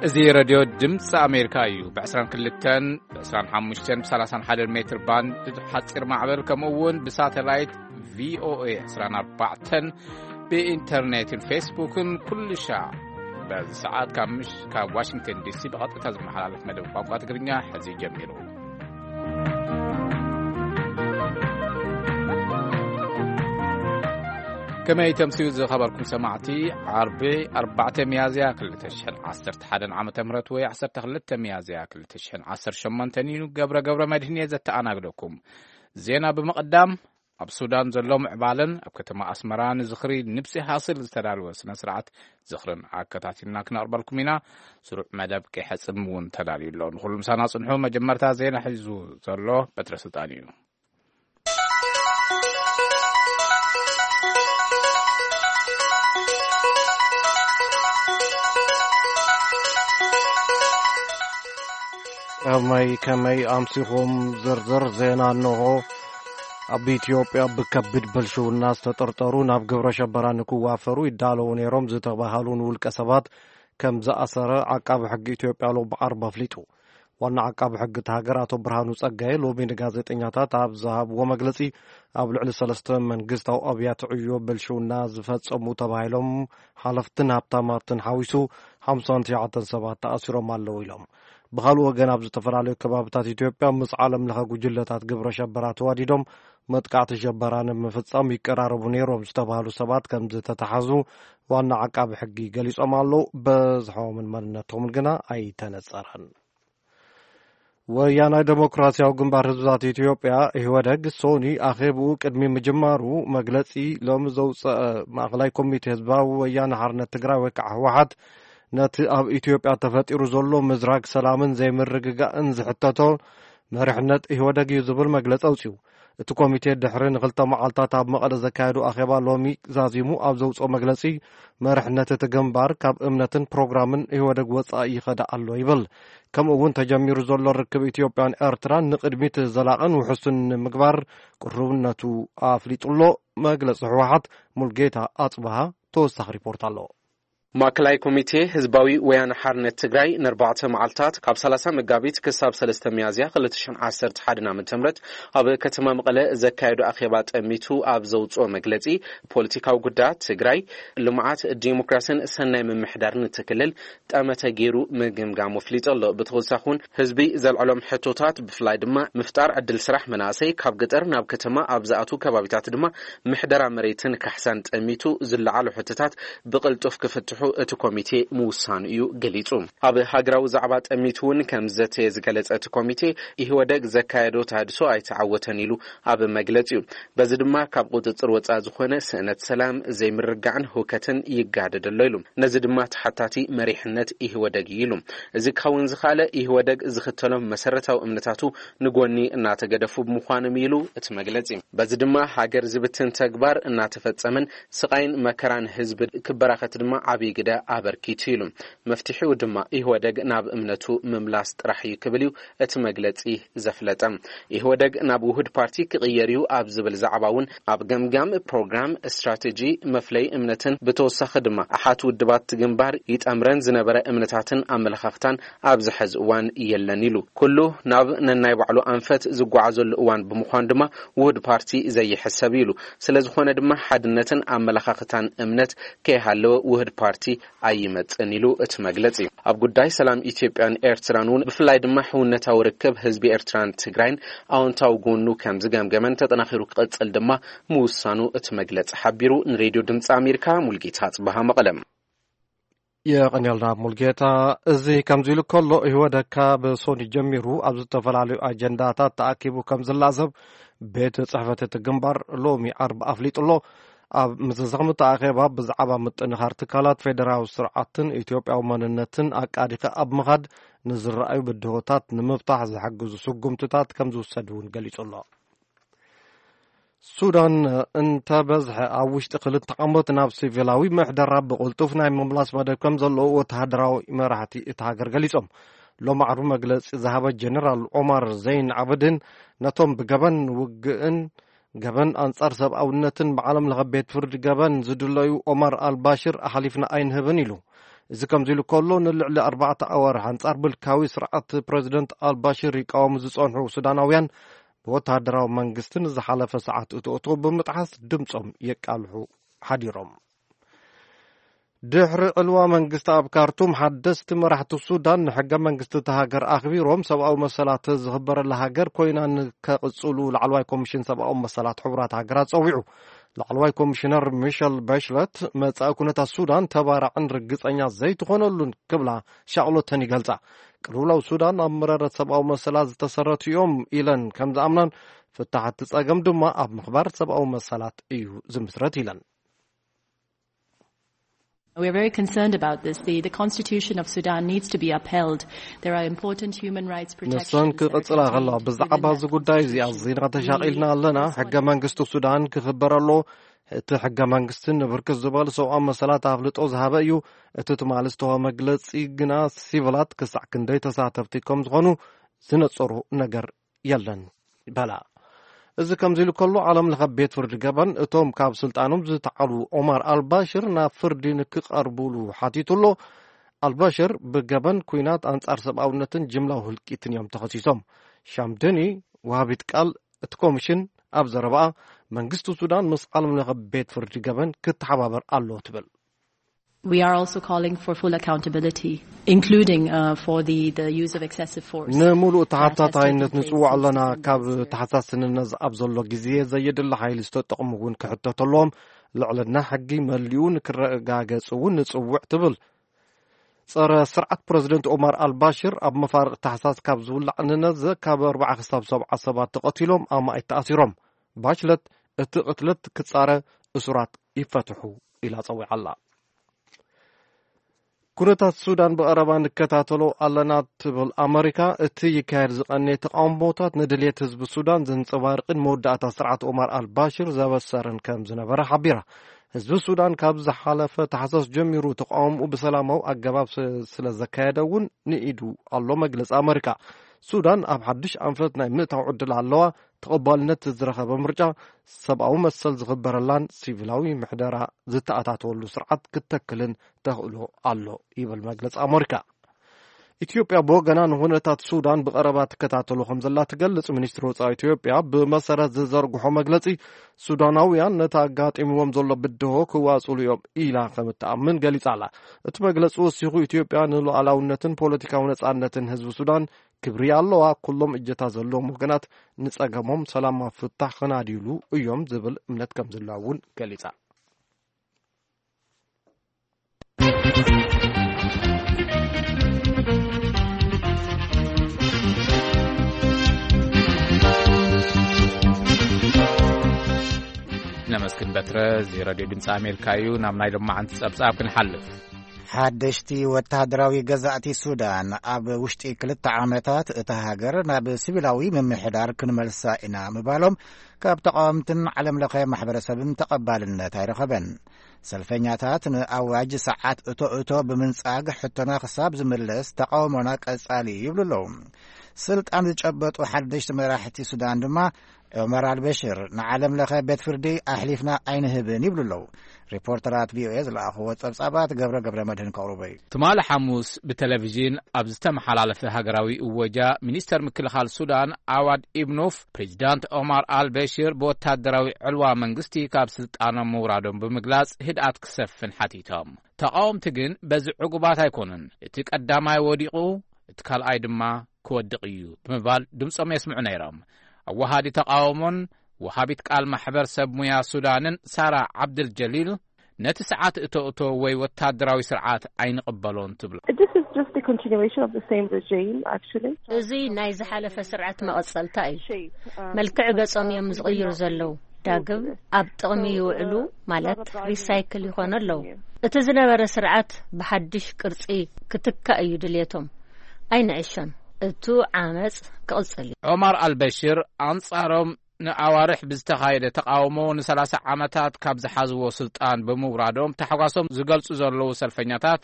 እዚ ሬድዮ ድምፂ ኣሜሪካ እዩ። ብ22፣ ብ25፣ ብ31 ሜትር ባንድ ሓፂር ማዕበል፣ ከምኡ እውን ብሳተላይት ቪኦኤ 24፣ ብኢንተርኔትን ፌስቡክን ኩሉ ሻዕ በዚ ሰዓት ካብ ምሽ-፣ ካብ ዋሽንግተን ዲሲ ብቐጥታ ዝመሓላለፍ መደብ ቋንቋ ትግርኛ ሕዚ ጀሚሩ። ከመይ ተምስዩ ዝኸበርኩም ሰማዕቲ፣ ዓርቢ ኣርባዕተ ሚያዝያ ክልተ ሽሕን ዓሰርተ ሓደን ዓመተ ምህረት ወይ ዓሰርተ ክልተ ሚያዝያ ክልተ ሽሕን ዓሰርተ ሸሞንተን እዩ። ገብረ ገብረ መድህን እየ ዘተኣናግደኩም። ዜና ብምቕዳም፣ ኣብ ሱዳን ዘሎ ምዕባለን ኣብ ከተማ ኣስመራ ንዝኽሪ ንብሲ ሃስል ዝተዳለወ ስነ ስርዓት ዝኽርን ኣከታቲልና ክነቕርበልኩም ኢና። ስሩዕ መደብ ቀይሐ ጽም እውን ተዳልዩ ኣሎ። ንኹሉ ምሳና ጽንሑ። መጀመርታ ዜና ሒዙ ዘሎ በትረ ስልጣን እዩ። ከመይ ከመይ ኣምሲኹም? ዝርዝር ዜና እንሆ። ኣብ ኢትዮጵያ ብከቢድ ብልሽውና ዝተጠርጠሩ ናብ ግብረ ሸበራ ንክዋፈሩ ይዳለዉ ነይሮም ዝተባሃሉ ንውልቀ ሰባት ከም ዝኣሰረ ዓቃቢ ሕጊ ኢትዮጵያ ሎሚ ዓርቢ ኣፍሊጡ። ዋና ዓቃቢ ሕጊ እቲ ሃገር ኣቶ ብርሃኑ ጸጋየ ሎሚ ንጋዜጠኛታት ኣብ ዝሃብዎ መግለጺ፣ ኣብ ልዕሊ ሰለስተ መንግስታዊ ኣብያተ ዕዮ ብልሽውና ዝፈጸሙ ተባሂሎም ሓለፍትን ሃብታማትን ሓዊሱ ሓምሳን ትሽዓተን ሰባት ተኣሲሮም ኣለዉ ኢሎም። ብኻልእ ወገን፣ ኣብ ዝተፈላለዩ ከባብታት ኢትዮጵያ ምስ ዓለም ለኸ ጉጅለታት ግብረ ሸበራ ተዋዲዶም መጥቃዕቲ ሸበራ ንምፍጻም ይቀራረቡ ነይሮም ዝተባህሉ ሰባት ከም ዝተታሓዙ ዋና ዓቃቢ ሕጊ ገሊጾም ኣለዉ። በዝሖምን መንነቶምን ግና ኣይተነጸረን። ወያናይ ዴሞክራሲያዊ ግንባር ህዝብታት ኢትዮጵያ፣ ኢህወደግ፣ ሶኒ ኣኼብኡ ቅድሚ ምጅማሩ መግለጺ ሎሚ ዘውጸአ ማእከላይ ኮሚቴ ህዝባዊ ወያነ ሓርነት ትግራይ ወይ ከዓ ህወሓት፣ ነቲ ኣብ ኢትዮጵያ ተፈጢሩ ዘሎ ምዝራግ ሰላምን ዘይምርግጋእን ዝሕተቶ መሪሕነት ኢህወደግ እዩ ዝብል መግለጺ ኣውጺኡ። እቲ ኮሚቴ ድሕሪ ንክልተ መዓልታት ኣብ መቐለ ዘካየዱ ኣኼባ ሎሚ ዛዚሙ ኣብ ዘውፅኦ መግለፂ፣ መሪሕነት እቲ ግንባር ካብ እምነትን ፕሮግራምን ኢህወደግ ወፃኢ ይኸዳ ኣሎ ይብል። ከምኡ እውን ተጀሚሩ ዘሎ ርክብ ኢትዮጵያን ኤርትራን ንቅድሚት ዘላቕን ውሑስን ንምግባር ቅሩብነቱ ኣፍሊጡ ኣሎ። መግለፂ ህወሓት ሙልጌታ ኣፅበሃ ተወሳኺ ሪፖርት ኣሎ። ማእከላይ ኮሚቴ ህዝባዊ ወያነ ሓርነት ትግራይ ንኣርባዕተ መዓልታት ካብ ሰላሳ መጋቢት ክሳብ ሰለስተ ሚያዝያ ክልተ ሽሕን ዓሰርተ ሓደን ዓመተ ምህረት ኣብ ከተማ መቐለ ዘካየዶ ኣኼባ ጠሚቱ ኣብ ዘውፅኦ መግለፂ፣ ፖለቲካዊ ጉዳያት ትግራይ፣ ልምዓት፣ ዲሞክራስን ሰናይ ምምሕዳርን እቲ ክልል ጠመተ ገይሩ ምግምጋሙ ኣፍሊጡ ኣሎ። ብተወሳኺ እውን ህዝቢ ዘልዕሎም ሕቶታት፣ ብፍላይ ድማ ምፍጣር ዕድል ስራሕ መናእሰይ፣ ካብ ገጠር ናብ ከተማ ኣብ ዝኣትዉ ከባቢታት ድማ ምሕደራ መሬትን ካሕሳን ጠሚቱ ዝለዓሉ ሕቶታት ብቕልጡፍ ክፍትሑ እቲ ኮሚቴ ምውሳኑ እዩ ገሊጹ። ኣብ ሃገራዊ ዛዕባ ጠሚቱ እውን ከም ዘተየ ዝገለጸ እቲ ኮሚቴ፣ ኢህወደግ ዘካየዶ ተሃድሶ ኣይተዓወተን ኢሉ ኣብ መግለጺኡ። በዚ ድማ ካብ ቁጽጽር ወጻኢ ዝኾነ ስእነት ሰላም፣ ዘይምርግጋዕን ህውከትን ይጋደድ ኣሎ ኢሉ። ነዚ ድማ ተሓታቲ መሪሕነት ኢህወደግ እዩ ኢሉ። እዚ ክኸውን ዝኸኣለ ኢህወደግ ዝኽተሎም መሰረታዊ እምነታቱ ንጎኒ እናተገደፉ ብምዃኖም ኢሉ እቲ መግለጺ። በዚ ድማ ሃገር ዝብትን ተግባር እናተፈጸመን ስቓይን መከራን ህዝቢ ክበራኸት ድማ ዓብዪ ግደ ኣበርኪቱ ኢሉ። መፍትሒኡ ድማ ኢህወደግ ናብ እምነቱ ምምላስ ጥራሕ እዩ ክብል እዩ እቲ መግለጺ ዘፍለጠ። ኢህወደግ ናብ ውሁድ ፓርቲ ክቕየር እዩ ኣብ ዝብል ዛዕባ እውን ኣብ ገምጋም ፕሮግራም፣ ስትራቴጂ፣ መፍለይ እምነትን ብተወሳኺ ድማ ኣሓት ውድባት ግንባር ይጠምረን ዝነበረ እምነታትን ኣመለኻኽታን ኣብዚ ሐዚ እዋን የለን ኢሉ። ኩሉ ናብ ነናይ ባዕሉ ኣንፈት ዝጓዓዘሉ እዋን ብምዃኑ ድማ ውሁድ ፓርቲ ዘይሕሰብ ኢሉ። ስለ ዝኾነ ድማ ሓድነትን ኣመለኻኽታን እምነት ከይሃለወ ውሁድ ፓርቲ ኣይመጽእን ኢሉ እቲ መግለጺ። ኣብ ጉዳይ ሰላም ኢትዮጵያን ኤርትራን እውን ብፍላይ ድማ ሕውነታዊ ርክብ ህዝቢ ኤርትራን ትግራይን ኣወንታዊ ጎኑ ከም ዝገምገመን ተጠናኺሩ ክቕጽል ድማ ምውሳኑ እቲ መግለጺ ሓቢሩ። ንሬድዮ ድምፂ ኣሜሪካ ሙልጌታ ጽበሃ መቐለም። የቐንየልና ሙልጌታ። እዚ ከምዚ ኢሉ ከሎ፣ ኢህወደግ ካብ ሶኒ ጀሚሩ ኣብ ዝተፈላለዩ ኣጀንዳታት ተኣኪቡ ከም ዝላዘብ ቤት ጽሕፈት እቲ ግንባር ሎሚ ዓርቢ ኣፍሊጡ ኣሎ። ኣብ ምዝዛም እቲ ኣኼባ ብዛዕባ ምጥንኻር ትካላት ፌደራዊ ስርዓትን ኢትዮጵያዊ መንነትን ኣቃዲኸ ኣብ ምኻድ ንዝረኣዩ ብድሆታት ንምፍታሕ ዝሕግዙ ስጉምትታት ከም ዝውሰድ እውን ገሊጹ ኣሎ። ሱዳን እንተበዝሐ ኣብ ውሽጢ ክልተ ዓመት ናብ ሲቪላዊ ምሕደራ ብቕልጡፍ ናይ ምምላስ መደብ ከም ዘለዎ ወተሃደራዊ መራሕቲ እታ ሃገር ገሊጾም። ሎሚ ዓርቢ መግለጺ ዝሃበ ጀነራል ኦማር ዘይን ዓብድን፣ ነቶም ብገበን ውግእን ገበን ኣንጻር ሰብኣውነትን ብዓለም ለኸ ቤት ፍርዲ ገበን ዝድለዩ ኦማር ኣልባሽር ኣሕሊፍና ኣይንህብን ኢሉ። እዚ ከምዚ ኢሉ ከሎ፣ ንልዕሊ ኣርባዕተ ኣዋርሕ ኣንጻር ምልካዊ ስርዓት ፕረዚደንት ኣልባሽር ይቃወሙ ዝጸንሑ ሱዳናውያን፣ ብወተሃደራዊ መንግስቲ ንዝሓለፈ ሰዓት እቶ እቶ ብምጥሓስ ድምጾም የቃልሑ ሓዲሮም። ድሕሪ ዕልዋ መንግስቲ ኣብ ካርቱም፣ ሓደስቲ መራሕቲ ሱዳን ንሕገ መንግስቲ እታ ሃገር ኣኽቢሮም ሰብኣዊ መሰላት ዝኽበረላ ሃገር ኮይና ንከቕጽሉ ላዕለዋይ ኮሚሽን ሰብኣዊ መሰላት ሕቡራት ሃገራት ጸዊዑ። ላዕለዋይ ኮሚሽነር ሚሸል ባሽለት፣ መጻኢ ኩነታት ሱዳን ተባራዕን ርግጸኛ ዘይትኾነሉን ክብላ ሻቕሎተን ይገልጻ። ቅልውላው ሱዳን ኣብ መረረት ሰብኣዊ መሰላት ዝተሰረቱ እዮም ኢለን ከም ዝኣምናን፣ ፍታሕ እቲ ጸገም ድማ ኣብ ምኽባር ሰብኣዊ መሰላት እዩ ዝምስረት ኢለን። We are very concerned about this. The, the constitution of Sudan needs to be upheld. There are important human rights protections ንሰን ክቕጽላ ከለዋ፣ ብዛዕባ እዚ ጉዳይ እዚ ኣዚና ተሻቒልና ኣለና። ሕገ መንግስቲ ሱዳን ክኽበር ኣሎ። እቲ ሕገ መንግስቲ ንብርክት ዝበሉ ሰብኣዊ መሰላት ኣፍልጦ ዝሃበ እዩ። እቲ ትማሊ ዝተወ መግለጺ ግና፣ ሲቪላት ክሳዕ ክንደይ ተሳተፍቲ ከም ዝኾኑ ዝነጸሩ ነገር የለን በላ። እዚ ከምዚ ኢሉ ከሎ፣ ዓለም ለኸ ቤት ፍርዲ ገበን እቶም ካብ ስልጣኖም ዝተዓሉ ኦማር ኣልባሽር ናብ ፍርዲ ንክቐርቡሉ ሓቲቱ ኣሎ። ኣልባሽር ብገበን ኩናት ኣንጻር ሰብኣውነትን ጅምላዊ ህልቂትን እዮም ተኸሲሶም። ሻምደኒ፣ ወሃቢት ቃል እቲ ኮሚሽን፣ ኣብ ዘረባኣ፣ መንግስቲ ሱዳን ምስ ዓለም ለኸ ቤት ፍርዲ ገበን ክተሓባበር ኣለዎ ትብል። We are also calling for full accountability, including uh, for the, the use of excessive force. ንምሉእ ተሓታታይነት ንጽውዕ ኣለና። ካብ ተሓሳስንነት ኣብ ዘሎ ግዜ ዘየድሊ ሓይሊ ዝተጠቕሙ እውን ክሕተቱ ኣለዎም። ልዕልና ሕጊ መሊኡ ንክረጋገጽ እውን ንጽውዕ ትብል። ጸረ ስርዓት ፕረዚደንት ኦማር ኣልባሽር ኣብ መፋርቕ ታሕሳስ ካብ ዝውላዕ ንነዘ ካብ ኣርባዓ ክሳብ ሰብዓ ሰባት ተቐቲሎም፣ ኣማኢት ተኣሲሮም። ባችለት፣ እቲ ቅትለት ክጻረ፣ እሱራት ይፈትሑ ኢላ ጸዊዓ ኣላ። ኩነታት ሱዳን ብቐረባ ንከታተሎ ኣለና ትብል ኣመሪካ፣ እቲ ይካየድ ዝቐነየ ተቓውሞታት ንድልየት ህዝቢ ሱዳን ዘንጸባርቕን መወዳእታ ስርዓት ኦማር ኣልባሽር ዘበሰረን ከም ዝነበረ ሓቢራ። ህዝቢ ሱዳን ካብ ዝሓለፈ ታሕሳስ ጀሚሩ ተቓውሞኡ ብሰላማዊ ኣገባብ ስ-፣ ስለ ዘካየደ እውን ንኢዱ ኣሎ መግለጺ ኣመሪካ። ሱዳን ኣብ ሓድሽ ኣንፈት ናይ ምእታው ዕድል ኣለዋ። ተቐባልነት ዝረኸበ ምርጫ፣ ሰብኣዊ መሰል ዝኽበረላን ሲቪላዊ ምሕደራ ዝተኣታተወሉ ስርዓት ክትተክልን ተኽእሎ ኣሎ ይብል መግለጺ ኣመሪካ። ኢትዮጵያ ብወገና ንኹነታት ሱዳን ብቐረባ ትከታተሎ ከም ዘላ ትገልጽ። ሚኒስትሪ ወጻኢ ኢትዮጵያ ብመሰረት ዝዘርግሖ መግለጺ፣ ሱዳናውያን ነቲ ኣጋጢምዎም ዘሎ ብድሆ ክዋጽሉ እዮም ኢላ ከም እትኣምን ገሊጻ ኣላ። እቲ መግለጺ ወሲኹ፣ ኢትዮጵያ ንሉዓላውነትን ፖለቲካዊ ነጻነትን ህዝቢ ሱዳን ክብሪ ኣለዋ። ኩሎም እጀታ ዘለዎም ወገናት ንጸገሞም ሰላማዊ ፍታሕ ክናድዩሉ እዮም ዝብል እምነት ከም ዝላ እውን ገሊጻ። ነመስግን በትረ። እዚ ሬድዮ ድምፂ ኣሜሪካ እዩ። ናብ ናይ ሎማዓንቲ ጸብጻብ ክንሓልፍ። ሓደሽቲ ወተሃደራዊ ገዛእቲ ሱዳን ኣብ ውሽጢ ክልተ ዓመታት እታ ሃገር ናብ ሲቪላዊ ምምሕዳር ክንመልሳ ኢና ምባሎም ካብ ተቓወምትን ዓለም ለኸ ማሕበረሰብን ተቐባልነት ኣይረኸበን። ሰልፈኛታት ንኣዋጅ ሰዓት እቶ እቶ ብምንጻግ ሕቶና ክሳብ ዝምለስ ተቓውሞና ቀጻሊ ይብሉ ኣለዉ። ስልጣን ዝጨበጡ ሓደሽቲ መራሕቲ ሱዳን ድማ ዑመር ኣልበሽር ንዓለም ለኸ ቤት ፍርዲ ኣሕሊፍና ኣይንህብን ይብሉ ኣለዉ። ሪፖርተራት ቪኦኤ ዝለኣኽዎ ጸብጻባት ገብረ ገብረ መድህን ከቕርቦ እዩ። ትማሊ ሓሙስ ብቴሌቪዥን ኣብ ዝተመሓላለፈ ሃገራዊ እወጃ፣ ሚኒስተር ምክልኻል ሱዳን ኣዋድ ኢብኑፍ፣ ፕሬዚዳንት ኦማር ኣልበሽር ብወታደራዊ ዕልዋ መንግስቲ ካብ ስልጣኖም ምውራዶም ብምግላጽ ህድኣት ክሰፍን ሓቲቶም። ተቓወምቲ ግን በዚ ዕጉባት ኣይኮኑን። እቲ ቀዳማይ ወዲቑ፣ እቲ ካልኣይ ድማ ክወድቕ እዩ ብምባል ድምጾም የስምዑ ነይሮም። ኣወሃዲ ተቓውሞን ወሃቢት ቃል ማሕበር ሰብ ሙያ ሱዳንን ሳራ ዓብድል ጀሊል፣ ነቲ ሰዓት እቶ እቶ ወይ ወታደራዊ ስርዓት ኣይንቕበሎን ትብሎ። This is just the continuation of the same regime, actually. እዚ ናይ ዝሓለፈ ስርዓት መቐጸልታ እዩ። መልክዕ ገጾም እዮም ዝቕይሩ ዘለዉ። ዳግም ኣብ ጥቕሚ ይውዕሉ፣ ማለት ሪሳይክል ይኾኑ ኣለዉ። እቲ ዝነበረ ስርዓት ብሓድሽ ቅርጺ ክትካእ እዩ ድልየቶም። ኣይንዕሾን። እቱ ዓመጽ ክቕጽል እዩ። ዑማር ኣልበሽር ኣንጻሮም ንኣዋርሕ ብዝተኻየደ ተቓውሞ ንሰላሳ ዓመታት ካብ ዝሓዝዎ ስልጣን ብምውራዶም ታሕጓሶም ዝገልጹ ዘለዉ ሰልፈኛታት፣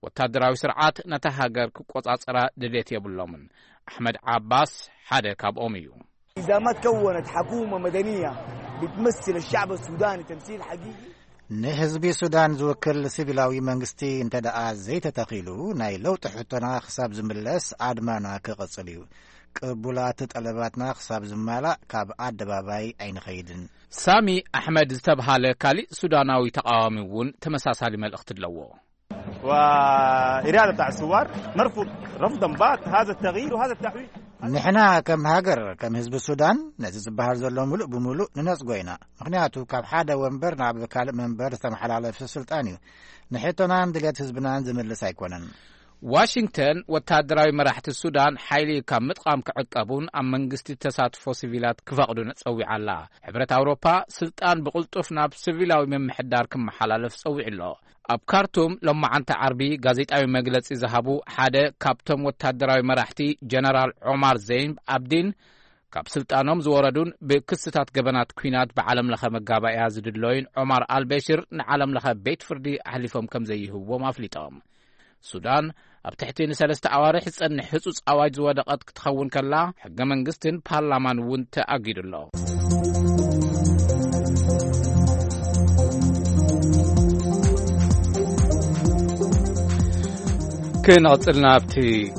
ወታደራዊ ስርዓት ነታ ሃገር ክቆጻጸራ ድሌት የብሎምን። ኣሕመድ ዓባስ ሓደ ካብኦም እዩ። إذا ما تكونت حكومة مدنية بتمثل الشعب السوداني تمثيل حقيقي ንህዝቢ ሱዳን ዝውክል ሲቪላዊ መንግስቲ እንተ ደኣ ዘይተተኺሉ፣ ናይ ለውጢ ሕቶና ክሳብ ዝምለስ ኣድማና ክቕጽል እዩ። ቅቡላት ጠለባትና ክሳብ ዝማላእ ካብ ኣደባባይ ኣይንኸይድን። ሳሚ ኣሕመድ ዝተብሃለ ካሊእ ሱዳናዊ ተቓዋሚ እውን ተመሳሳሊ መልእኽቲ ኣለዎ። والإرادة بتاع الثوار نرفض رفضا بات هذا التغيير وهذا التحويل. ንሕና ከም ሃገር፣ ከም ህዝቢ ሱዳን፣ ነዚ ዝበሃል ዘሎ ምሉእ ብምሉእ ንነጽጎ ኢና። ምኽንያቱ፣ ካብ ሓደ ወንበር ናብ ካልእ መንበር ዝተመሓላለፈ ስልጣን እዩ። ንሕቶናን ድሌት ህዝብናን ዝምልስ ኣይኮነን። ዋሽንግተን፣ ወታደራዊ መራሕቲ ሱዳን ሓይሊ ካብ ምጥቓም ክዕቀቡን ኣብ መንግስቲ ተሳትፎ ሲቪላት ክፈቕዱን ጸዊዓ ኣላ። ሕብረት ኣውሮፓ፣ ስልጣን ብቕልጡፍ ናብ ሲቪላዊ ምምሕዳር ክመሓላለፍ ጸዊዑ ኣሎ። ኣብ ካርቱም፣ ሎማዓንቲ ዓርቢ ጋዜጣዊ መግለጺ ዝሃቡ ሓደ ካብቶም ወታደራዊ መራሕቲ፣ ጀነራል ዖማር ዘይን ኣብዲን፣ ካብ ስልጣኖም ዝወረዱን ብክስታት ገበናት ኲናት ብዓለም ለኸ መጋባእያ ዝድለዩን ዖማር ኣልበሽር፣ ንዓለም ለኸ ቤት ፍርዲ ኣሕሊፎም ከም ዘይህብዎም ኣፍሊጦም። ሱዳን፣ ኣብ ትሕቲ ንሰለስተ ኣዋርሕ ዝጸንሕ ህጹጽ ኣዋጅ ዝወደቐት ክትኸውን ከላ፣ ሕገ መንግስትን ፓርላማን እውን ተኣጊዱ ኣሎ። ክንቕጽል ናብቲ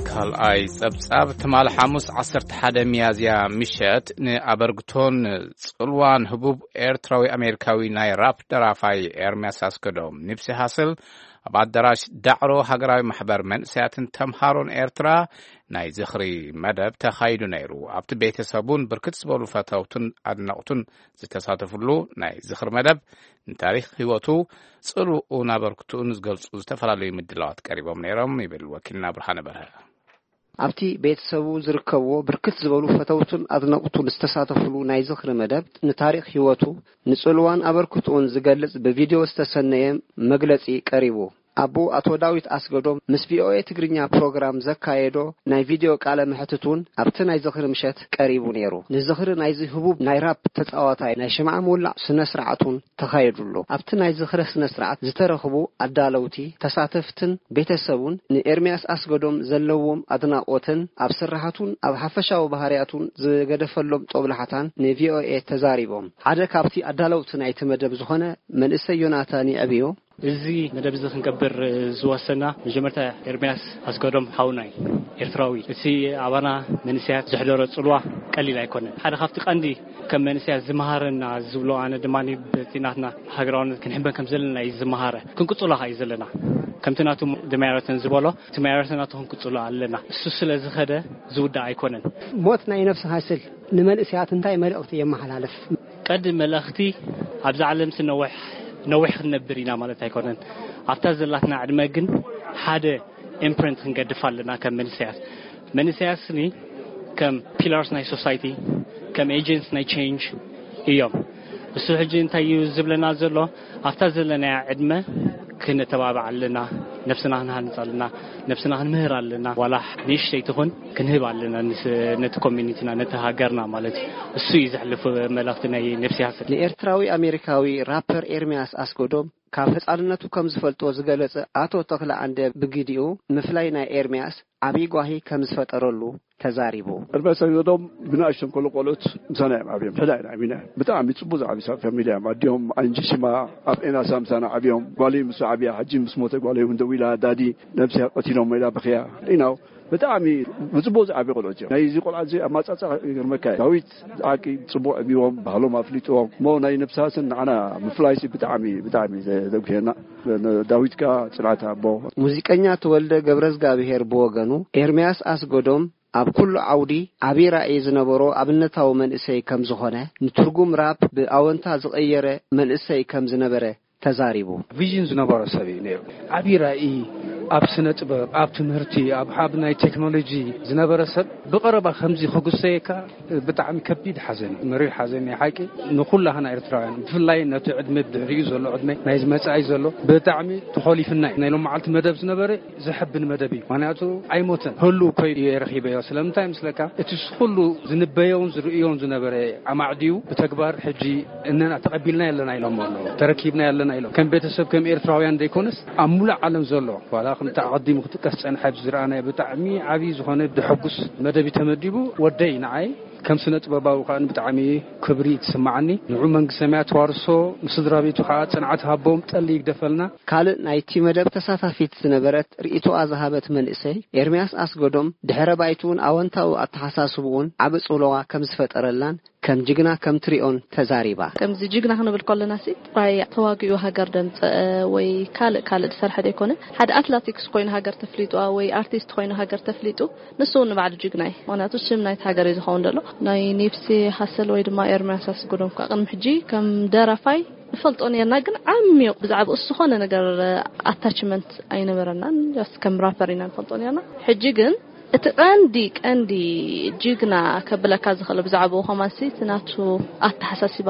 ካልኣይ ጸብጻብ። ትማል ሓሙስ ዓሰርተ ሓደ ሚያዝያ ምሸት፣ ንኣበርግቶን ጽልዋን ህቡብ ኤርትራዊ ኣሜሪካዊ ናይ ራፕ ደራፋይ ኤርምያስ ኣስገዶም፣ ኒፕሲ ሃስል፣ ኣብ ኣዳራሽ ዳዕሮ ሃገራዊ ማሕበር መንእሰያትን ተምሃሮን ኤርትራ ናይ ዝኽሪ መደብ ተኻይዱ ነይሩ። ኣብቲ ቤተሰቡን ብርክት ዝበሉ ፈተውቱን ኣድነቕቱን ዝተሳተፍሉ ናይ ዝኽሪ መደብ፣ ንታሪኽ ህይወቱ፣ ጽልውኡን ኣበርክትኡን ዝገልጹ ዝተፈላለዩ ምድላዋት ቀሪቦም ነይሮም፣ ይብል ወኪልና ብርሃነ በርሀ። ኣብቲ ቤተሰቡ ዝርከብዎ ብርክት ዝበሉ ፈተውቱን ኣድነቕቱን ዝተሳተፍሉ ናይ ዝኽሪ መደብ፣ ንታሪኽ ህይወቱ፣ ንጽልዋን ኣበርክትኡን ዝገልጽ ብቪድዮ ዝተሰነየ መግለጺ ቀሪቡ። ኣቦ ኣቶ ዳዊት ኣስገዶም ምስ ቪኦኤ ትግርኛ ፕሮግራም ዘካየዶ ናይ ቪድዮ ቃለ መሕትት እውን ኣብቲ ናይ ዝኽሪ ምሸት ቀሪቡ ነይሩ። ንዝኽሪ ናይዚ ህቡብ ናይ ራፕ ተጻዋታይ ናይ ሽምዓ ምውላዕ ስነ ስርዓት እውን ተኻየዱ ኣሎ። ኣብቲ ናይ ዝኽሪ ስነ ስርዓት ዝተረኽቡ ኣዳለውቲ፣ ተሳተፍትን ቤተሰቡን ንኤርምያስ ኣስገዶም ዘለዎም ኣድናቖትን ኣብ ስርሓቱን ኣብ ሓፈሻዊ ባህርያቱን ዝገደፈሎም ጦብላሕታን ንቪኦኤ ተዛሪቦም። ሓደ ካብቲ ኣዳለውቲ ናይቲ መደብ ዝኾነ መንእሰይ ዮናታን ይዕብዮ፣ እዚ መደብ እዚ ክንገብር ዝወሰና፣ መጀመርታ ኤርምያስ ኣስገዶም ሓውና እዩ፣ ኤርትራዊ። እቲ ኣባና መንእሰያት ዘሕደሮ ጽልዋ ቀሊል ኣይኮነን። ሓደ ካብቲ ቀንዲ ከም መንእሰያት ዝመሃረና ዝብሎ፣ ኣነ ድማ በቲ ናትና ሃገራውነት ክንሕበን ከም ዘለና እዩ ዝመሃረ። ክንቅጽሎ ከኣ እዩ ዘለና። ከምቲ ናቱ ደማያረተን ዝበሎ፣ እቲ ማያረተን ናቱ ክንቅጽሎ ኣለና። እሱ ስለ ዝኸደ ዝውዳእ ኣይኮነን። ሞት ናይ ነፍሲ ሃስል ንመንእሰያት እንታይ መልእኽቲ የመሓላልፍ? ቀንዲ መልእኽቲ፣ ኣብዛ ዓለምሲ ነዊሕ፣ ነዊሕ ክንነብር ኢና ማለት ኣይኮነን። ኣብታ ዘላትና ዕድመ ግን ሓደ ኢምፕሪንት ክንገድፍ ኣለና ከም መንእሰያት። መንእሰያትኒ ከም ፒላርስ ናይ ሶሳይቲ፣ ከም ኤጀንትስ ናይ ቼንጅ እዮም። እሱ ሕጂ እንታይ እዩ ዝብለና ዘሎ? ኣብታ ዘለናያ ዕድመ ክነተባብዕ ኣለና፣ ነብስና ክንሃንጽ ኣለና፣ ነብስና ክንምህር ኣለና። ዋላ ንእሽተይ ትኹን ክንህብ ኣለና፣ ንስ-፣ ነቲ ኮሚኒቲና፣ ነቲ ሃገርና ማለት እዩ። እሱ እዩ ዘሕልፍ መልእኽቲ ናይ ነብሲ ሃስል። ንኤርትራዊ ኣሜሪካዊ ራፐር ኤርሚያስ ኣስገዶም ካብ ህጻንነቱ ከም ዝፈልጦ ዝገለጸ ኣቶ ተኽለ ኣንደ ብግዲኡ፣ ምፍላይ ናይ ኤርሚያስ ዓቢ ጓሂ ከም ዝፈጠረሉ ተዛሪቡ። ኤርሚያስ ኣስገዶም ብንኣሽቱ ከሎ ቆልዑት ምሳና እዮም ዓብዮም። ሕዳ ኢና ዓቢና። ብጣዕሚ ጽቡቅ ዝዓቢ ሰብ ፋሚሊ እዮም። ኣዲኦም ኣንጂ ሽማ ኣብ ኤናሳ ምሳና ዓብዮም። ጓለይ ምስ ዓብያ፣ ሕጂ ምስ ሞተ ጓለይ እውን ደዊላ፣ ዳዲ ነብስያ ቀቲሎም ኢላ በኽያ። ኢናው ብጣዕሚ ብጽቡቅ ዝዓቢ ቆልዑት እዮም። ናይዚ ቆልዓ እዚ ኣማጻጻ ይገርመካ እዩ። ዳዊት ብሓቂ ጽቡቅ ዕብዎም፣ ባህሎም ኣፍሊጥዎም። እሞ ናይ ነብሲ ሃስል ንዓና ምፍላይሲ ብጣዕሚ፣ ብጣዕሚ ዘ-፣ ዘጉህየና። ዳዊት ከኣ ጽንዓት ኣቦ። ሙዚቀኛ ተወልደ ገብረዝጋብሄር ብወገኑ፣ ኤርምያስ ኣስገዶም ኣብ ኩሉ ዓውዲ ዓቢ ራኢ ዝነበሮ ኣብነታዊ መንእሰይ ከም ዝኾነ፣ ንትርጉም ራፕ ብኣወንታ ዝቐየረ መንእሰይ ከም ዝነበረ ተዛሪቡ። ቪዥን ዝነበሮ ሰብ እዩ ነይሩ። ዓቢ ራኢ፣ ኣብ ስነ ጥበብ፣ ኣብ ትምህርቲ፣ ኣብ፣ ኣብ ናይ ቴክኖሎጂ ዝነበረ ሰብ ብቐረባ ከምዚ ክጉሰየካ ብጣዕሚ ከቢድ ሓዘን እዩ። መሪር ሓዘን ናይ ሓቂ ንኹላህና ኤርትራውያን፣ ብፍላይ ነቲ ዕድመ ብድሕሪኡ ዘሎ ዕድመ ናይዚ መጻኢ ዘሎ ብጣዕሚ ተኾሊፍና እዩ። ናይ ሎማዓልቲ መደብ ዝነበረ ዘሐብን መደብ እዩ። ምኽንያቱ ኣይሞተን፣ ህሉው ኮይኑ እየ ረኺበዮ። ስለምንታይ ምስለካ፣ እቲ ኩሉ ዝንበዮን ዝርእዮን ዝነበረ ኣማዕድዩ ብተግባር ሕጂ እነና ተቐቢልና ኣለና ኢሎም ኣለዉ። ተረኪብና ኣለና ኢሎም። ከም ቤተሰብ፣ ከም ኤርትራውያን ዘይኮነስ ኣብ ሙሉእ ዓለም ዘሎ፣ ዋላ ከምቲ ኣቐዲሙ ክጥቀስ ጸንሐ ኣብዚ ዝረኣናዮ ብጣዕሚ ዓብዪ ዝኾነ ድሕጉስ መደብ እዩ ተመዲቡ። ወደይ ንዓይ ከም ስነ ጥበባዊ ከኣ ብጣዕሚ ክብሪ ትስምዓኒ። ንዑ መንግስተ ሰማያት ተዋርሶ፣ ንስድራ ቤቱ ከኣ ጽንዓት ሃቦም፣ ጠሊ ይግደፈልና። ካልእ ናይቲ መደብ ተሳታፊት ዝነበረት ርእይቶኣ ዝሃበት መንእሰይ ኤርምያስ ኣስገዶም፣ ድሕረ ባይትኡን ኣወንታዊ ኣተሓሳስብኡን ዓቢ ጽልዋ ከም ዝፈጠረላን ከም ጅግና ከም ትሪኦን ተዛሪባ። ከምዚ ጅግና ክንብል ከለና ሲ ጥራይ ተዋጊኡ ሃገር ደምፀአ ወይ ካልእ ካልእ ዝሰርሐ ዘይኮነ፣ ሓደ ኣትላቲክስ ኮይኑ ሃገር ተፍሊጡ ወይ ኣርቲስት ኮይኑ ሃገር ተፍሊጡ፣ ንሱ እውን ንባዕሉ ጅግና እዩ። ምክንያቱ ሽም ናይቲ ሃገር እዩ ዝኸውን ዘሎ። ናይ ኒፕሲ ሃሰል ወይ ድማ ኤርምያስ ኣስገዶም ከዓ ቅድሚ ሕጂ ከም ደራፋይ ንፈልጦ ነርና፣ ግን ዓሚቕ ብዛዕባኡ ዝኾነ ነገር ኣታችመንት ኣይነበረናን። ስ ከም ራፐር ኢና ንፈልጦ ነርና። ሕጂ ግን እቲ ቀንዲ ቀንዲ ጅግና ከብለካ ዝኽእል ብዛዕባኡ ከማንሲ እቲ ናቱ ኣተሓሳሲባ፣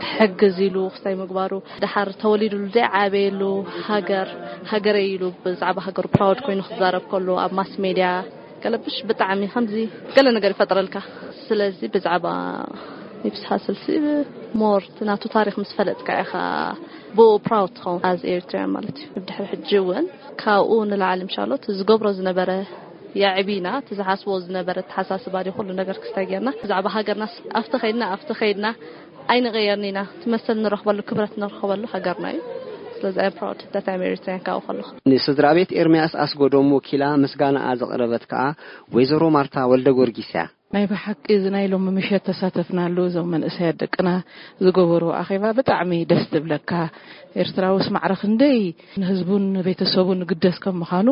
ክሕግዝ ኢሉ ክስታይ ምግባሩ፣ ደሓር ተወሊዱሉ ዘይዓበየሉ ሃገር፣ ሃገረይ ኢሉ ብዛዕባ ሃገሩ ፕራውድ ኮይኑ ክዛረብ ከሎ ኣብ ማስ ሜድያ ገለብሽ ብጣዕሚ ከምዚ ገለ ነገር ይፈጥረልካ። ስለዚ ብዛዕባ ኒፕሲ ሃስል ሲ ሞር እቲ ናቱ ታሪኽ ምስ ፈለጥካ ኢኻ ብኡ ፕራውድ ትኸውን ኣዝ ኤሪትሪያን ማለት እዩ። ብድሕሪ ሕጂ እውን ካብኡ ንላዕሊ ምሻሎ እቲ ዝገብሮ ዝነበረ የዕቢና፣ እቲ ዝሓስቦ ዝነበረ ኣተሓሳስባ ድዩ ኩሉ ነገር ክስታይ ጌርና ብዛዕባ ሃገርና ስ-፣ ኣብቲ ኸይድና ኣብቲ ኸይድና ኣይንቐየርን ኢና። እቲ መሰል ንረኽበሉ፣ ክብረት ንረኽበሉ ሃገርና እዩ። ስለዚ I'm proud that I'm Eritrean ካብኡ ከለኹ። ንስድራ ቤት ኤርምያስ ኣስጎዶም ወኪላ ምስጋናኣ ዘቕረበት ከኣ ወይዘሮ ማርታ ወልደ ጊዮርጊስ እያ። ናይ ብሓቂ እዚ ናይ ሎሚ ምሸት ተሳተፍናሉ፣ እዞም መንእሰያት ደቅና ዝገበርዎ ኣኼባ ብጣዕሚ ደስ ትብለካ። ኤርትራውስ ማዕረ ክንደይ ንህዝቡን ንቤተሰቡን ግደስ ከም ምዃኑ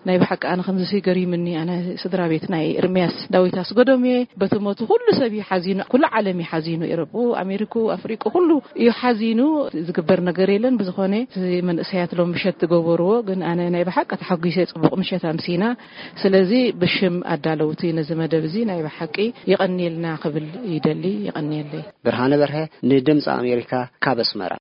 ናይ ብሓቂ ኣነ ከምዚ ገሪምኒ። ኣነ ስድራ ቤት ናይ ኤርምያስ ዳዊት ኣስገዶም እየ። በቲ ሞቱ ኩሉ ሰብ እዩ ሓዚኑ፣ ኩሉ ዓለም እዩ ሓዚኑ። ኤሮጳ፣ ኣሜሪካ፣ ኣፍሪቃ ኩሉ እዩ ሓዚኑ። ዝግበር ነገር የለን። ብዝኾነ እቲ መንእሰያት ሎም ምሸት ዝገበርዎ ግን ኣነ ናይ ብሓቂ ተሓጒሰ። ጽቡቕ ምሸት ኣምሲና። ስለዚ ብሽም ኣዳለውቲ ነዚ መደብ እዚ ናይ ብሓቂ የቐንየልና ክብል ይደሊ። የቐንየለይ። ብርሃነ በርሀ ንድምፂ ኣሜሪካ ካብ ኣስመራ።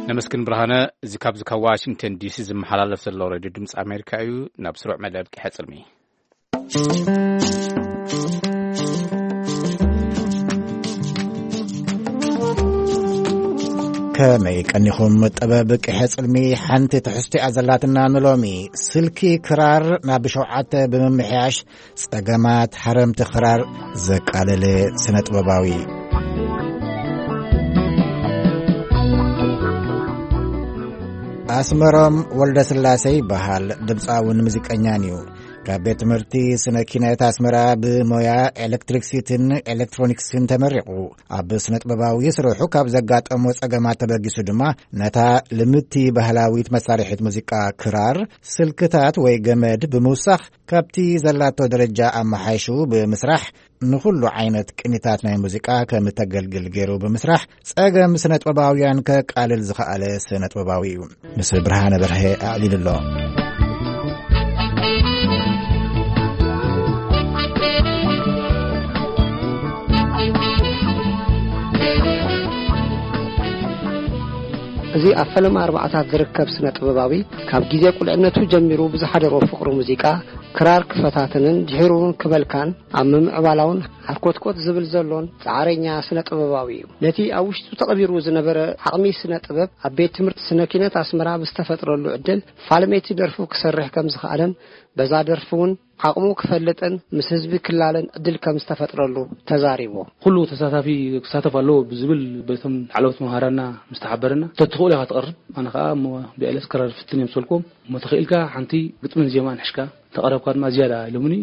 ነመስግን ብርሃነ። እዚ ካብዚ ካብ ዋሽንግተን ዲሲ ዝመሓላለፍ ዘሎ ሬድዮ ድምፂ ኣሜሪካ እዩ። ናብ ስሩዕ መደብ ቂሐ ጽልሚ። ከመይ ቀኒኹም? ጥበብ ቂሐ ጽልሚ ሓንቲ ትሕዝቶ እያ ዘላትና ንሎሚ። ስልኪ ክራር ናብ ሸውዓተ ብምምሕያሽ ጸገማት ሓረምቲ ክራር ዘቃለለ ስነ ጥበባዊ። ኣስመሮም ወልደ ስላሴ ይበሃል። ድምፃውን ሙዚቀኛን እዩ። ካብ ቤት ትምህርቲ ስነ ኪነት ኣስመራ ብሞያ ኤሌክትሪክሲቲን ኤሌክትሮኒክስን ተመሪቑ። ኣብ ስነ ጥበባዊ ስርሑ ካብ ዘጋጠሞ ጸገማት ተበጊሱ ድማ ነታ ልምድቲ ባህላዊት መሳርሒት ሙዚቃ ክራር ስልክታት ወይ ገመድ ብምውሳኽ ካብቲ ዘላቶ ደረጃ ኣመሓይሹ ብምስራሕ ንኹሉ ዓይነት ቅኒታት ናይ ሙዚቃ ከም እተገልግል ገይሩ ብምስራሕ ጸገም ስነ ጥበባውያን ከቃልል ዝኸኣለ ስነ ጥበባዊ እዩ። ምስ ብርሃነ በርሀ ኣዕሊሉ ኣሎ። እዚ ኣብ ፈለማ ኣርባዓታት ዝርከብ ስነ ጥበባዊ ካብ ግዜ ቁልዕነቱ ጀሚሩ ብዝሓደሮ ፍቕሪ ሙዚቃ ክራር ክፈታተንን ድሒሩ እውን ክመልካን ኣብ ምምዕባላውን ሓርኮትኮት ዝብል ዘሎን ጻዕረኛ ስነ ጥበባዊ እዩ። ነቲ ኣብ ውሽጡ ተቐቢሩ ዝነበረ ዓቕሚ ስነ ጥበብ ኣብ ቤት ትምህርቲ ስነ ኪነት ኣስመራ ብዝተፈጥረሉ ዕድል ፋልሜቲ ደርፉ ክሰርሕ ከም ዝኸኣለን በዛ ደርፊ እውን ዓቕሙ ክፈልጥን ምስ ህዝቢ ክላለን ዕድል ከም ዝተፈጥረሉ ተዛሪቡ። ኩሉ ተሳታፊ ክሳተፍ ኣለዎ ብዝብል በቶም ላዕለዎት መምሃራንና ምስ ተሓበረና፣ "ተትኽእሉ ኢኻ ትቐርብ፣ ኣነ ኸኣ እሞ ብኤልስ ክራር ፍትን እዮም" ስበልክዎም። እሞ ተኽኢልካ ሓንቲ ግጥምን ዜማን ሕሽካ ተቐረብካ ድማ ዝያዳ ኢሎምኒ።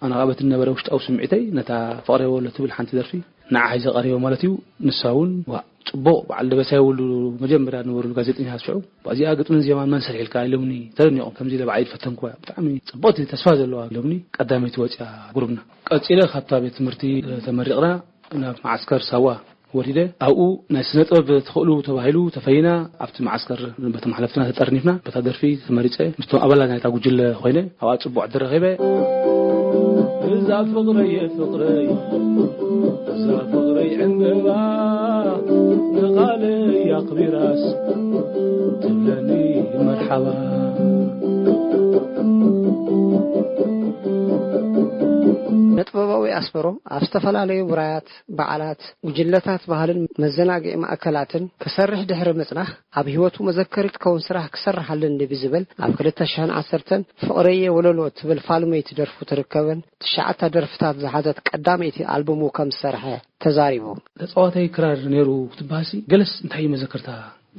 ኣነ ኸኣ በቲ ዝነበረ ውሽጣዊ ስምዒተይ ነታ ፍቕረይ ወሎ ትብል ሓንቲ ደርፊ ንዓ ሒዘ ቀሪበ ማለት እዩ። ንሳ እውን፣ "ዋእ፣ ጽቡቕ፣ በዓል ደበሳይ ወልዱ መጀመርያ ዝነበሩ ጋዜጠኛታት ሽዑ፣ ብኣዚኣ ግጥምን ዜማን መን ሰሪሕልካ?" ኢሎምኒ ተደኒቖም። "ከምዚ ኢለ ባዕለይ ዝፈተንኩዋ እያ፣ ብጣዕሚ ጽብቕቲ ተስፋ ዘለዋ" ኢሎምኒ። ቀዳመይቲ ወጺኣ ጉሩብና። ቀጺለ ካብታ ቤት ትምህርቲ ተመሪቕና ናብ መዓስከር ሳዋ ወሪደ። ኣብኡ ናይ ስነ ጥበብ ተኽእሉ ተባሂሉ ተፈይና፣ ኣብቲ መዓስከር በቶም ሓለፍትና ተጠርኒፍና፣ በታ ደርፊ ተመሪጸ፣ ምስቶም ኣባላት ናይታ ጉጅለ ኮይነ፣ ኣብኣ ጽቡቕ ዕድል ረኺበ። እዛ ፍቕረይ ፍቕረይ፣ እዛ ፍቕረይ ዕምበባ፣ ንቓለይ ኣኽቢራስ ትብለኒ መርሓባ። ነታ ጥበባዊ ኣስመሮም ኣብ ዝተፈላለዩ ውራያት፣ በዓላት፣ ጉጅለታት ባህልን መዘናግዒ ማእከላትን ክሰርሕ ድሕሪ ምጽናሕ፣ ኣብ ህይወቱ መዘከሪ ትከውን ስራሕ ክሰርሕ ኣለኒ ብዝብል ኣብ ክልተ ሽሕን ዓሰርተን ፍቕረየ ወለሎ ትብል ፋልመይቲ ደርፉ ትርከብን ትሽዓተ ደርፍታት ዝሓዘት ቀዳመይቲ ኣልቡሙ ከም ዝሰርሐ ተዛሪቡ። ተጻዋታይ ክራር ነይሩ ክትበሃሲ ገለስ እንታይ እዩ መዘከርታ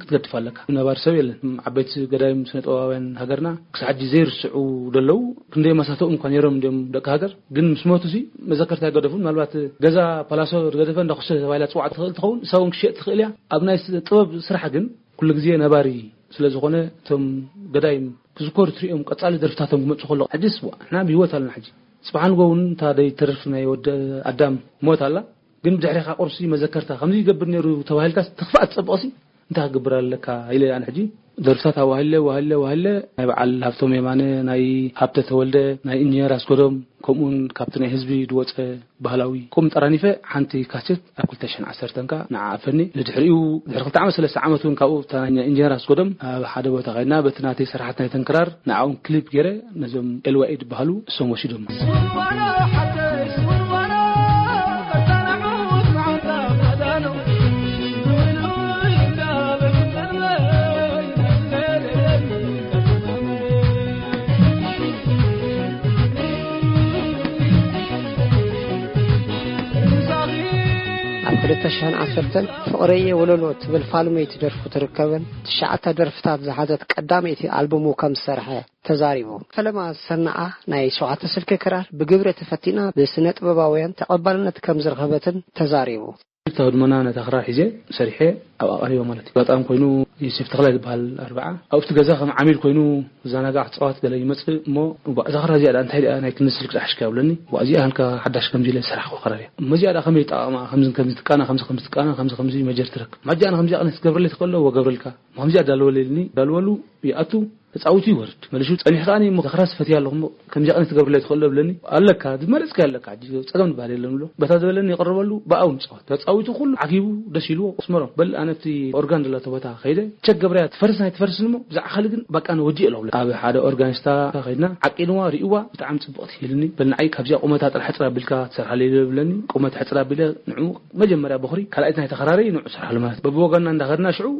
ክትገድፍ ኣለካ። ነባር ሰብ የለን። ዓበይቲ ገዳይም ስነ ጥበባውያን ሃገርና ክሳብ ሕጂ ዘይርስዑ ደለዉ፣ ክንደይ መሳተኦም እኳ ነይሮም እንዲዮም ደቂ ሃገር፣ ግን ምስ ሞቱ ሲ መዘከርታ ኣይገደፉን። ምናልባት ገዛ ፓላሶ ገደፈ እንዳኹሰ ተባሂላ ትፅዋዕ ትኽእል ትኸውን፣ እሳ እውን ክሸጥ ትኽእል እያ። ኣብ ናይ ስ- ጥበብ ስራሕ ግን ኩሉ ግዜ ነባሪ ስለ ዝኾነ እቶም ገዳይም ክዝከሩ ትሪኦም ቀጻሊ ደርፍታቶም ክመፁ ከሎ ሕጅስ ዋ፣ ንሕና ብህይወት ኣለና። ሕጂ ፅባሕ ንጎ እውን እታ ደይ ተርፍ ናይ ወዲ ኣዳም ሞት ኣላ። ግን ብድሕሪኻ ቁርሲ መዘከርታ ከምዚ ይገብር ነይሩ ተባሂልካ ትኽፋእ ትጸብቕሲ እንታይ ክገብር ኣለካ ኢለ ኣነ ሕጂ ደርፍታት ኣዋህለ ዋህለ ዋህለ ናይ በዓል ሃብቶም የማነ፣ ናይ ሃብተ ተወልደ፣ ናይ ኢንጂነር ኣስገዶም፣ ከምኡውን ካብቲ ናይ ህዝቢ ዝወፀ ባህላዊ ቁም ጠራኒፈ ሓንቲ ካሴት ኣብ ክልተ ሽሕን ዓሰርተን ከኣ ንዓ ኣፈኒ። ንድሕሪኡ ድሕሪ ክልተ ዓመት ሰለስተ ዓመት እውን ካብኡ እታ ናይ ኢንጂነር ኣስገዶም ኣብ ሓደ ቦታ ከይድና በቲ ናተይ ስራሓት ናይ ተንክራር ንዓውን ክሊፕ ገይረ ነዞም ኤልዋኤ ዝበሃሉ እሶም ወሲዶም። ኣብ ክልተ ሽሕን ዓሰርተን ፍቕረየ ወለሎ ትብል ፋልመይቲ ደርፉ ትርከብን ትሽዓተ ደርፍታት ዝሓዘት ቀዳመይቲ ኣልቡሙ ከም ዝሰርሐ ተዛሪቡ። ፈለማ ዝሰናዓ ናይ ሸውዓተ ስልኪ ክራር ብግብሪ ተፈቲና ብስነ ጥበባውያን ተቐባልነት ከም ዝረኸበትን ተዛሪቡ። ክልተ ህድሞና ነታ ክራር ሒዘ ሰሪሐ ኣብኣ ቀሪበ ማለት እዩ። ኣጋጣሚ ኮይኑ ዮሴፍ ተኽላይ ዝበሃል ኣርብዓ ኣብቲ ገዛ ከም ዓሚል ኮይኑ ዝዘናጋዕ ክፃወት ገለ ይመፅእ እሞ፣ "እባ እዛ ክራር እዚኣ ደኣ እንታይ ደኣ ናይ ክንዲ ስልኪ ዝሓሽካ?" ይብለኒ። "እባ እዚኣ ሃልካ ሓዳሽ ከምዚ ኢለ ዝሰራሕኩ ክራር እያ። እሞ እዚኣ ደኣ ከመይ ይጠቓቕማ? ከምዚ ከምዚ ትቃና፣ ከምዚ ከምዚ ትቃና፣ ከምዚ ከምዚ መጀር ትረክብ። ማጃ ኣነ ከምዚኣ ቅነ ትገብረለይ ትኽእል ኣለዎ ገብረልካ። እሞ ከምዚኣ ዳልወለይ" ኢልኒ። ዳልወሉ ይኣቱ ተጻዊቱ ይወርድ። መሊሱ ጸኒሑ ከኣ እሞ ክራር ፈትያ ኣለኹ እሞ ከምዚኣ ቅነ ትገብረለይ ትኽእል ዶ ብለኒ። ኣለካ፣ ዝመረጽካዮ ኣለካ፣ ሕጂ ጸገም ዝበሃል የለን ብሎ። በታ ዝበለኒ ይቕርበሉ፣ ብኣኡ ንጻወት። ተጻዊቱ ኩሉ ዓጊቡ ደስ ኢልዎ፣ ኣስመሮም፣ በል ኣነ ኣብቲ ኦርጋን ዘለቶ ቦታ ከይደ፣ ቸክ ገብረያ ትፈርስ ናይ ትፈርስን እሞ ብዛዕባ ካልእ ግን በቃ ኣነ ወዲኤ ኣለኹ ብለ። ኣብ ሓደ ኦርጋኒስታ ከይድና፣ ዓቂንዋ፣ ሪእዋ፣ ብጣዕሚ ጽብቕቲ ኢልኒ። በል ንዓይ ካብዚኣ ቁመታ ጥራሕ ሕጽር ኣቢልካ ትሰርሓለይ ዶ ብለኒ። ቁመት ሕጽር ኣቢለ ንዕኡ መጀመርያ በኹሪ፣ ካልኣይቲ ናይ ተኸራሪ ንዑ ስራሕ ማለት። በብወገንና እንዳኸድና ሽዑ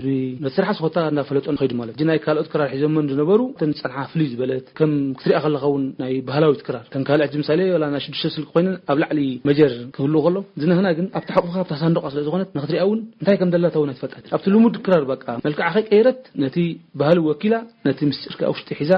ነቲ ስራሕ ስኾታ እንዳፈለጦ ንኸይድ ማለት። እዚ ናይ ካልኦት ክራር ሒዞመን ዝነበሩ እተን ዝጸንሓ ፍልይ ዝበለት፣ ከም ክትሪኣ ከለኻ እውን ናይ ባህላዊት ክራር። እተን ካልእ ሕጂ ምሳሌ፣ ዋላ ናይ ሽዱሽተ ስልኪ ኮይነን ኣብ ላዕሊ መጀር ክህልዎ ከሎ፣ ዝነህና ግን ኣብቲ ሕቑፍካ ኣብታ ሳንዱቓ ስለ ዝኾነት፣ ንኽትሪኣ እውን እንታይ ከም ደላታ እውን ኣይትፈልጣትን። ኣብቲ ልሙድ ክራር በቃ መልክዓ ከይቀየረት፣ ነቲ ባህሊ ወኪላ፣ ነቲ ምስጢር ከኣ ውሽጢ ሒዛ፣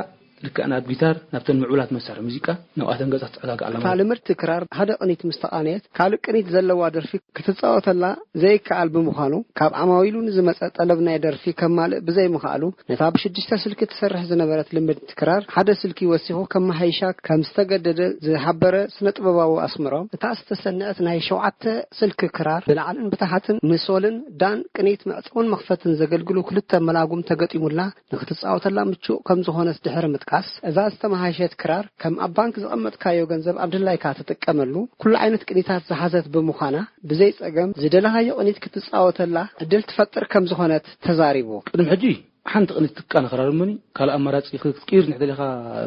ልክዕ ናብ ጊታር፣ ናብተን ምዕቡላት መሳርሒ ሙዚቃ፣ ናብኣተን ገጻ ትጸጋጋዕ ኣላ እታ ማለት። ልምድቲ ክራር ሓደ ቅኒት ምስ ተቓነየት፣ ካልእ ቅኒት ዘለዋ ደርፊ ክትጻወተላ ዘይከኣል ብምዃኑ፣ ካብ ዓማዊሉ ንዝመጸ ጠለብ ናይ ደርፊ ከማልእ ብዘይምኽኣሉ፣ ነታ ብሽዱሽተ ስልኪ ትሰርሕ ዝነበረት ልምድቲ ክራር ሓደ ስልኪ ወሲኹ ከመሓይሻ ከም ዝተገደደ ዝሓበረ ስነ ጥበባዊ ኣስመሮም፣ እታ ዝተሰንዐት ናይ ሸውዓተ ስልኪ ክራር ብላዕልን ብታሕትን ንሶልን ዳን ቅኒት መዕጸውን መኽፈትን ዘገልግሉ ክልተ መላጉም ተገጢሙላ፣ ንክትጻወተላ ምቹእ ከም ዝኾነት ድሕሪ ምጥቃስ፣ እዛ ዝተመሃሸት ክራር ከም ኣብ ባንክ ዘቐመጥካዮ ገንዘብ ኣብ ድላይካ ትጥቀመሉ፣ ኩሉ ዓይነት ቅኒታት ዝሓዘት ብምዃና፣ ብዘይ ጸገም ዝደለኻዮ ቅኒት ክትጻወተላ ዕድል ትፈጥር ከም ዝኾነት ተዛሪቡ። ቅድሚ ሕጂ ሓንቲ ቅኒት ትቃነ ክራር እሞኒ፣ ካልእ ኣማራጺ ክትቅይር እንድሕር ደሊኻ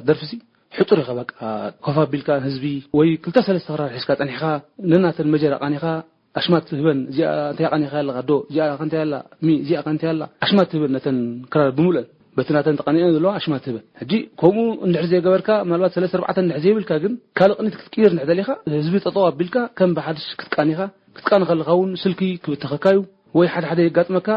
ደርፍሲ፣ ሕጹር ኢኻ በቃ፣ ኮፍ ኣቢልካ ንህዝቢ ወይ ክልተ ሰለስተ ክራር ሒዝካ ጸኒሕካ፣ ነናተን መጀር ኣቃኒኻ፣ ኣሽማት ትህበን፣ እዚኣ እንታይ ኣቃኒኻ ኣለኻ ዶ፣ እዚኣ ከ እንታይ ኣላ፣ ሚ፣ እዚኣ ከ እንታይ ኣላ፣ ኣሽማት ትህበን ነተን ክራር ብምሉአን፣ በቲ ናተን ተቃኒዐን ዘለዋ ኣሽማት ትህበን። ሕጂ ከምኡ እንድሕር ዘይገበርካ፣ ምናልባት ሰለስተ ኣርባዕተ እንድሕር ዘይብልካ ግን፣ ካልእ ቅኒት ክትቅይር እንድሕር ደሊኻ፣ ህዝቢ ጠጠው ኣቢልካ፣ ከም ብሓድሽ ክትቃኒኻ፣ ክትቃኒ ከለኻ እውን ስልኪ ክብተኸካ እዩ፣ ወይ ሓደ ሓደ የጋጥመካ፣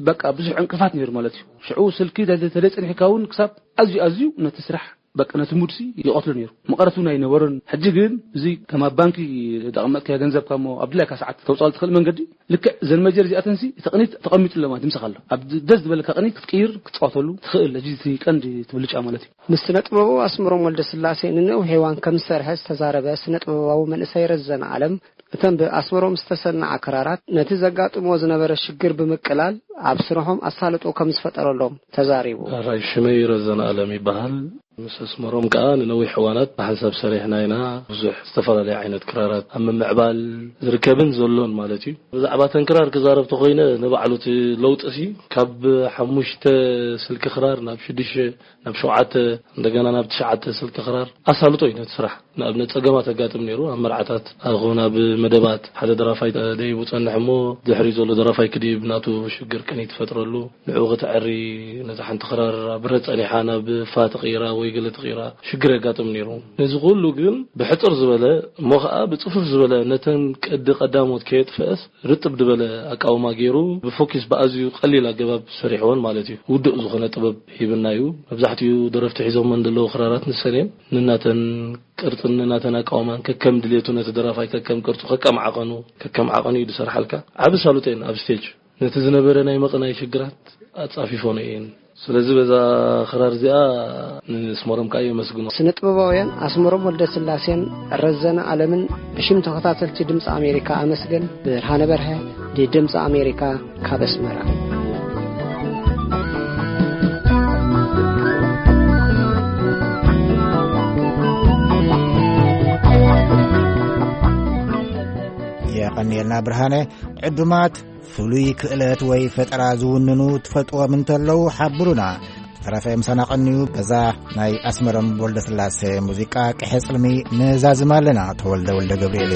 በቃ ብዙሕ ዕንቅፋት ነይሩ ማለት እዩ። ሽዑ ስልኪ ተደ-፣ ተደይ ጸኒሕካ እውን ክሳብ ኣዝዩ ኣዝዩ ነቲ ስራሕ በቃ ነቲ ሙድሲ ይቐትሎ ነይሩ። መቐረት እውን ኣይነበሮን። ሕጂ ግን እዚ ከም ኣብ ባንኪ ዘቐመጥካዮ ገንዘብካ እሞ ኣብ ድላይካ ሰዓት ተውጻሉ ትኽእል መንገዲ፣ ልክዕ እዘን መጀር እዚኣተንሲ እቲ ቅኒት ተቐሚጥሎ ማለት ምሳኻ ኣሎ። ኣብ ደስ ዝበለካ ቅኒት ክትቅይር ክትጻወተሉ ትኽእል። እዚ እቲ ቀንዲ እቲ ብልጫ ማለት እዩ። ምስ ስነ ጥበባዊ ኣስመሮም ወልደስላሴ ንነዊሕ እዋን ከም ዝሰርሐ ዝተዛረበ ስነ ጥበባዊ መንእሰይ ረዘነ ኣለም፣ እተን ብኣስመሮም ዝተሰንዓ ክራራት ነቲ ዘጋጥምዎ ዝነበረ ሽግር ብምቅላል ኣብ ስርሖም ኣሳልጦ ከም ዝፈጠረሎም ተዛሪቡ። ራይ ሽመይ ረዘነ ኣለም ይበሃል። ምስ ኣስመሮም ከኣ ንነዊሕ እዋናት ብሓንሳብ ሰሪሕና ኢና። ብዙሕ ዝተፈላለየ ዓይነት ክራራት ኣብ ምምዕባል ዝርከብን ዘሎን ማለት እዩ። ብዛዕባ ተን ክራር ክዛረብ ተኾይነ፣ ንባዕሉ እቲ ለውጢ ሲ ካብ ሓሙሽተ ስልኪ ክራር ናብ ሽዱሽተ፣ ናብ ሸውዓተ፣ እንደገና ናብ ትሽዓተ ስልኪ ክራር ኣሳልጦ እዩ ነቲ ስራሕ። ንኣብነት ጸገማት ኣጋጥም ነይሩ፣ ኣብ መርዓታት ኣኹን ኣብ መደባት ሓደ ደራፋይ ደይቡ ጸንሕ እሞ፣ ድሕሪ ዘሎ ደራፋይ ክድይብ ናቱ ሽግር ቅኒ ትፈጥረሉ። ንዕኡ ከተዐሪ ነታ ሓንቲ ክራር ኣብ ረ ጸኒሓ ናብ ፋ ተቕይራ ወይ ገለ ተቕይራ ሽግር የጋጥም ነይሩ። ነዚ ኩሉ ግን ብሕጽር ዝበለ እሞ ኸኣ ብጽፉፍ ዝበለ ነተን ቅዲ ቀዳሞት ከየጥፍአስ ርጥብ ዝበለ ኣቃውማ ገይሩ ብፎኪስ ብኣዝዩ ቀሊል ኣገባብ ሰሪሕዎን ማለት እዩ። ውዱእ ዝኾነ ጥበብ ሂብና እዩ። መብዛሕትኡ ደረፍቲ ሒዞም ዘለዉ ክራራት ንሰን እየን። ንናተን ቅርጽን ንናተን ኣቃውማን ከከም ድሌቱ ነቲ ደራፋይ ከከም ቅርጹ ከከም ዓቐኑ ከከም ዓቐኑ እዩ ዝሰርሓልካ። ዓቢ ሳሉጥ እየን ኣብ ስቴጅ። ነቲ ዝነበረ ናይ መቕናይ ሽግራት ኣጻፊፎ ነው እየን። ስለዚ በዛ ክራር እዚኣ ንስመሮም ከኣ የመስግኖ። ስነ ጥበባውያን ኣስመሮም ወልደ ስላሴን ረዘነ ኣለምን ብሽም ተኸታተልቲ ድምፂ ኣሜሪካ ኣመስገን። ብርሃነ በርሀ፣ ድምፂ ኣሜሪካ፣ ካብ ኣስመራ። የቐንየልና ብርሃነ። ዕዱማት ፍሉይ ክእለት ወይ ፈጠራ ዝውንኑ ትፈልጥዎም እንተለዉ ሓብሩና። ተረፈ ምሳና ቀንዩ። በዛ ናይ ኣስመሮም ወልደስላሴ ሙዚቃ ቅሐ ጽልሚ ንዛዝም ኣለና። ተወልደ ወልደ ገብርኤል።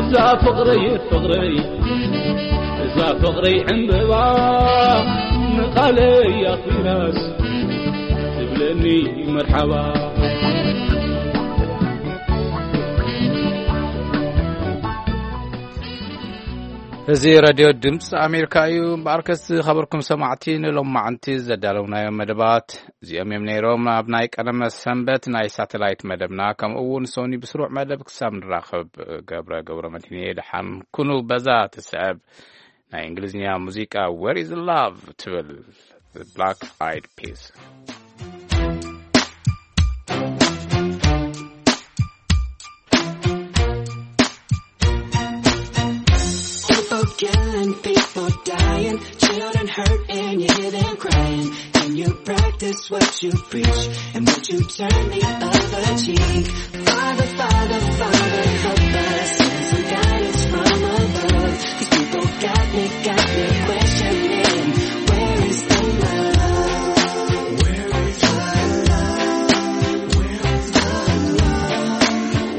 እዛ ፍቕረይ ፍቕረይ፣ እዛ ፍቕረይ ዕምበባ፣ ንቓለይ ኣኽቢራስ ትብለኒ መርሓባ። እዚ ሬድዮ ድምፂ ኣሜሪካ እዩ። እምበኣርከስ ዝኸበርኩም ሰማዕቲ፣ ንሎማዕንቲ ዘዳለውናዮም መደባት እዚኦም እዮም ነይሮም። ኣብ ናይ ቀደመ ሰንበት ናይ ሳተላይት መደብና፣ ከምኡ እውን ሶኒ ብስሩዕ መደብ ክሳብ ንራኸብ፣ ገብረ ገብረ መድህን እየ። ደሓን ኩኑ። በዛ ትስዕብ ናይ እንግሊዝኛ ሙዚቃ Where is Love ትብል፣ Black Eyed Peas። People killing, people dying, children hurt and you hear them crying. Can you practice what you preach? And would you turn the other cheek? Father, Father, Father, help us. Send some guidance from above. These people got me, got me questioning. Where is the love? Where is the love? Where is the love?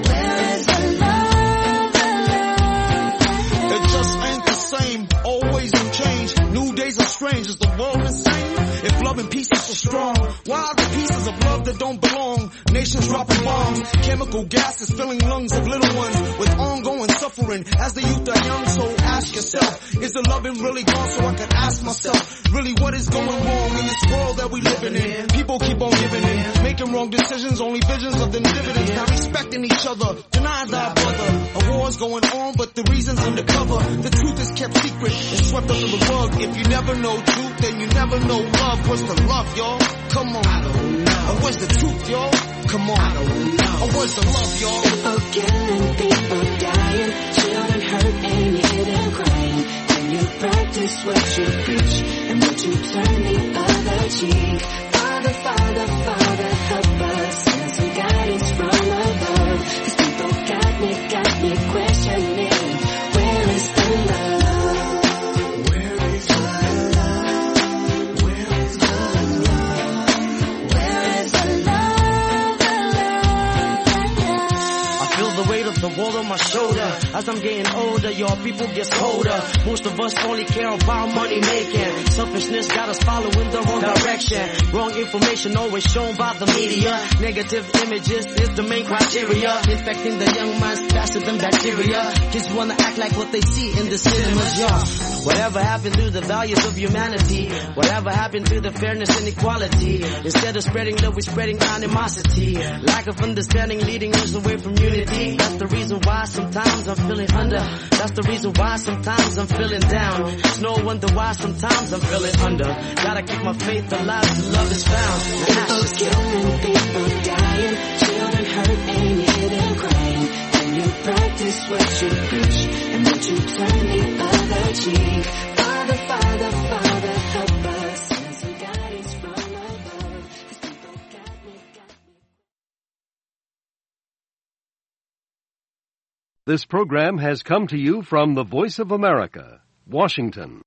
Where is the love? It just ain't the same. Always in change. New days are strange. Is the world insane? If love and peace is so strong, why are the pieces of love that don't belong? Nations dropping bombs, chemical gases filling lungs of little ones with ongoing suffering. As the youth are young, so ask yourself, is the loving really gone? So I could ask myself, really, what is going wrong in this world that we living in? People keep on giving in, making wrong decisions, only visions of them dividends, not respecting each other. Deny thy brother. A war's going on, but the reason's undercover. The truth is kept secret and swept under the rug. If you never know truth, then you never know love. What's the love, y'all? Come on. I don't know. Or where's the truth, y'all? Come on. I don't know. Or where's the love, y'all? People killing, people dying, children hurt and you hear them crying. Can you practice what you preach? And would you turn the other cheek? Father, Father, Father, help us. Send some guidance from above. These people got me, got me questioning. Where is the love? Where is the love? Where is the love? Where is the love? The love, the love. I feel the weight of the world on my shoulder. As I'm getting older, your people gets colder. Most of us only care about money making. Selfishness got us following the wrong direction. Wrong information always shown by the media. Negative images is the main criteria. Infecting the young minds faster than bacteria. Kids wanna act like what they see in the cinemas, yeah. Whatever happened to the values of humanity? Whatever happened to the fairness and equality? Instead of spreading love, we're spreading animosity. Lack of understanding leading us away from unity. That's the reason why sometimes I'm feeling under. That's the reason why sometimes I'm feeling down. It's no wonder why sometimes I'm feeling under. Gotta keep my faith alive till love is found. People killing, people dying, children hurt and hear them crying. Can you practice what you preach? And would you turn the other cheek? Father, Father, Father, help us. Send some guidance from above. These people got me, got me. This program has come to you from the Voice of America, Washington.